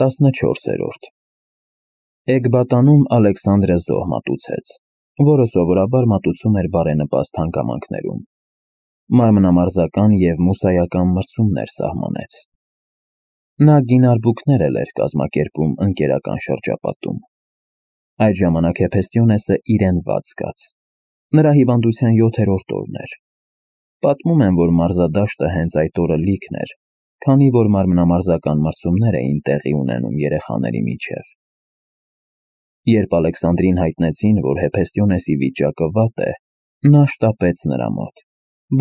14-րդ Էգբատանում Ալեքսանդրը զոհ մատուցեց, որը սովորաբար մատուցում էր բարենպաստ հանգամանքներում, մանրամարզական և մուսայական մրցումներ սահմանեց։ Նա գինարբուքներ էլ էր կազմակերպում ընկերական շրջապատում։ Այդ ժամանակ Հեփեստիոնեսը իրեն վատ զգաց։ Նրա հիվանդության 7-րդ օրն էր։ Պատմում են, որ մարզադաշտը հենց այդ օրը լիքն էր, քանի որ մանրամարզական մրցումներ էին տեղի ունենում երեխաների միջև։ Երբ Ալեքսանդրին հայտնեցին, որ Հեփեստիոնեսի վիճակը վատ է, նա շտապեց նրա մոտ,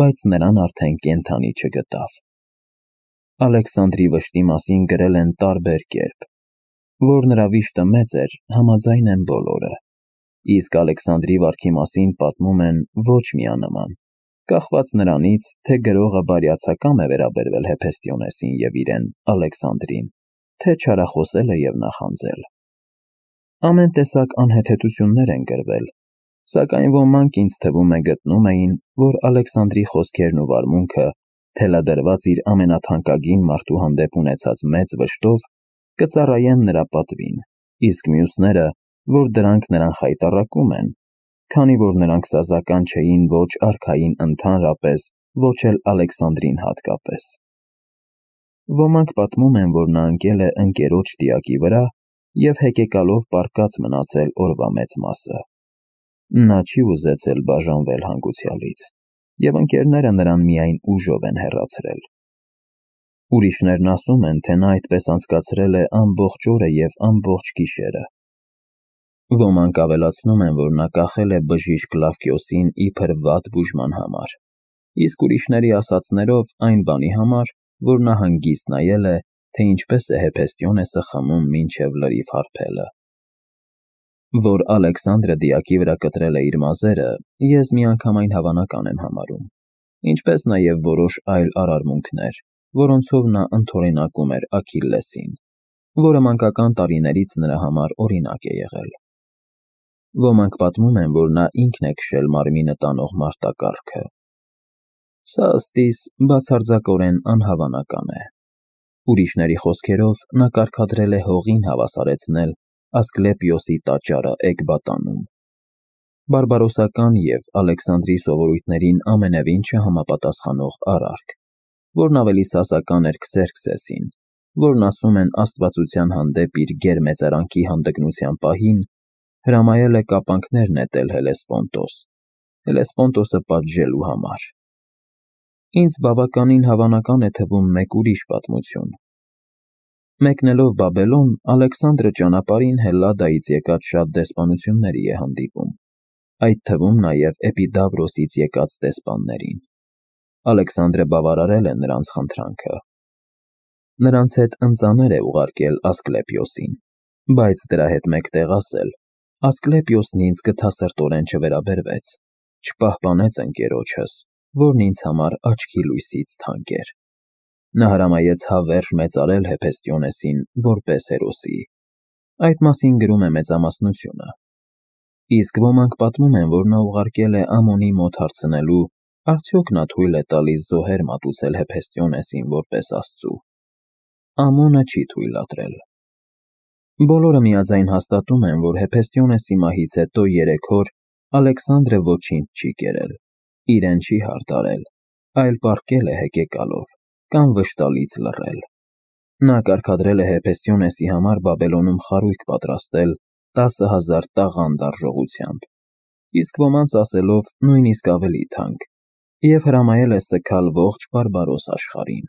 բայց նրան արդեն կենդանի չգտավ։ Ալեքսանդրի վշտի մասին գրել են տարբեր կերպ, որ նրա վիշտը մեծ էր, համաձայն են բոլորը, իսկ Ալեքսանդրի վարքի մասին պատմում են ոչ միանման, կախված նրանից, թե գրողը բարյացակամ է վերաբերվել Հեփեստիոնեսին և իրեն Ալեքսանդրին, թե չարախոսել է և նախանձել։ Ամեն տեսակ անհեթեթություններ են գրվել, սակայն ոմանք ինձ թվում է գտնում էին, որ Ալեքսանդրի խոսքերն ու վարմունքը, թելադրված իր ամենաթանկագին մարդու հանդեպ ունեցած մեծ վշտով, կծառայեն նրա պատվին, իսկ մյուսները, որ դրանք նրան խայտառակում են, քանի որ նրանք սազական չէին ոչ արքային ընդհանրապես, ոչ էլ Ալեքսանդրին հատկապես։ Ոմանք պատմում են, որ նա ընկել է ընկերոջ տիակի վրա և հեկեկալով պառկած մնացել օրվա մեծ մասը։ Նա չի ուզեցել բաժանվել հանգուցյալից, և ընկերները նրան միայն ուժով են հեռացրել։ Ուրիշներն ասում են, թե նա այդպես անցկացրել է ամբողջ օրը և ամբողջ գիշերը։ Ոմանք ավելացնում են, որ նա կախել է բժիշկ Կլավկիոսին իբր վատ բուժման համար, իսկ ուրիշների ասածներով այն բանի համար, որ նա հանգիստ նայել է, թե ինչպես է Հեփեստիոնեսը խմում մինչև լրիվ հարբելը։ Որ Ալեքսանդրը դիակի վրա կտրել է իր մազերը, ես միանգամայն հավանական եմ համարում, ինչպես նաև որոշ այլ արարմունքներ, որոնցով նա ընդօրինակում էր Աքիլլեսին, որը մանկական տարիներից նրա համար օրինակ է եղել։ Ոմանք պատմում են, որ նա ինքն է քշել մարմինը տանող մարտակառքը։ Սա ըստ իս բացարձակորեն անհավանական է։ Ուրիշների խոսքերով նա կարգադրել է հողին հավասարեցնել Ասկլեպիոսի տաճարը Էգբատանում։ Բարբարոսական և Ալեքսանդրի սովորույթներին ամենևին չհամապատասխանող արարք, որն ավելի սասական էր Քսերքսեսին, որն ասում են աստվածության հանդեպ իր գերմեծարանքի հանդգնության պահին հրամայել է կապանքներ նետել Հելեսպոնտոս, Հելեսպոնտոսը պատժելու համար։ Ինձ բավականին հավանական է թվում մեկ ուրիշ պատմություն։ Մեկնելով Բաբելոն, Ալեքսանդրը ճանապարհին Հելլադայից եկած շատ դեսպանությունների է հանդիպում, այդ թվում նաև Էպիդավրոսից եկած դեսպաններին։ Ալեքսանդրը բավարարել է նրանց խնդրանքը։ Նրանց հետ ընծաներ է ուղարկել Ասկլեպիոսին, բայց դրա հետ մեկտեղ ասել. Ասկլեպիոսն ինձ գթասրտորեն չվերաբերվեց, չպահպանեց ընկերոջս, որն ինձ համար աչքի լույսից թանկ էր։ Նա հրամայեց հավերժ մեծարել Հեփեստիոնեսին որպես հերոսի։ Այդ մասին գրում է մեծամասնությունը։ Իսկ ոմանք պատմում են, որ նա ուղարկել է Ամոնի մոտ հարցնելու, արդյոք նա թույլ է տալիս զոհեր մատուցել Հեփեստիոնեսին որպես աստծու։ Ամոնը չի թույլատրել։ Բոլորը միաձայն հաստատում են, որ Հեփեստիոնեսի մահից հետո 3 օր Ալեքսանդրը ոչինչ չի կերել, իրեն չի հարդարել, այլ պառկել է հեկեկալով կամ վշտալից լռել։ Նա կարգադրել է Հեփեստիոնեսի համար Բաբելոնում խարույկ պատրաստել 10,000 տաղանդ արժողությամբ, իսկ ոմանց ասելով նույնիսկ ավելի թանկ, և հրամայել է սգալ ողջ բարբարոս աշխարհին։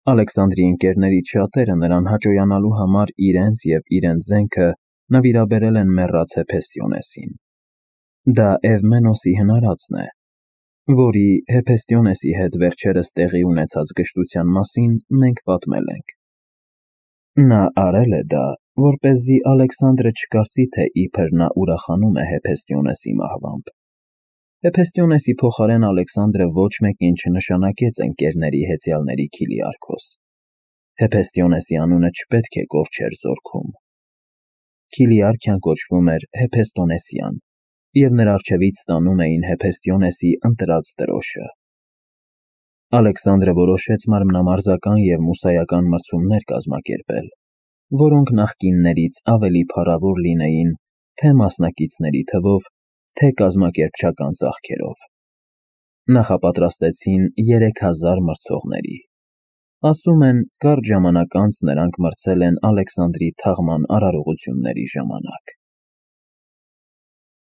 Ալեքսանդրի ընկերներից շատերը նրան հաճոյանալու համար իրենց և իրենց զենքը նվիրաբերել են մեռած Հեփեստիոնեսին։ Դա Էվմենոսի հնարածն է, որի Հեփեստիոնեսի հետ վերջերս տեղի ունեցած գժտության մասին մենք պատմել ենք։ Նա արել է դա, որպեսզի Ալեքսանդրը չկարծի, թե իբր նա ուրախանում է Հեփեստիոնեսի մահվամբ։ Հեփեստիոնեսի փոխարեն Ալեքսանդրը ոչ մեկին չնշանակեց ընկերների հեծյալների Քիլիարքոս։ Հեփեստիոնեսի անունը չպետք է կորչեր զորքում։ Քիլիարքիան կոչվում էր Հեփեստոնեսյան, և նրա առջևից ստանում էին Հեփեստիոնեսի ընտրած դրոշը։ Ալեքսանդրը որոշեց մանրամարզական և մուսայական մրցումներ կազմակերպել, որոնք նախկիններից ավելի փառավոր լինեին թե մասնակիցների թվով, թե կազմակերպչական ծախքերով։ Նախապատրաստեցին 3000 մրցողների։ Ասում են, կարճ ժամանակ անց նրանք մրցել են Ալեքսանդրի թաղման արարողությունների ժամանակ։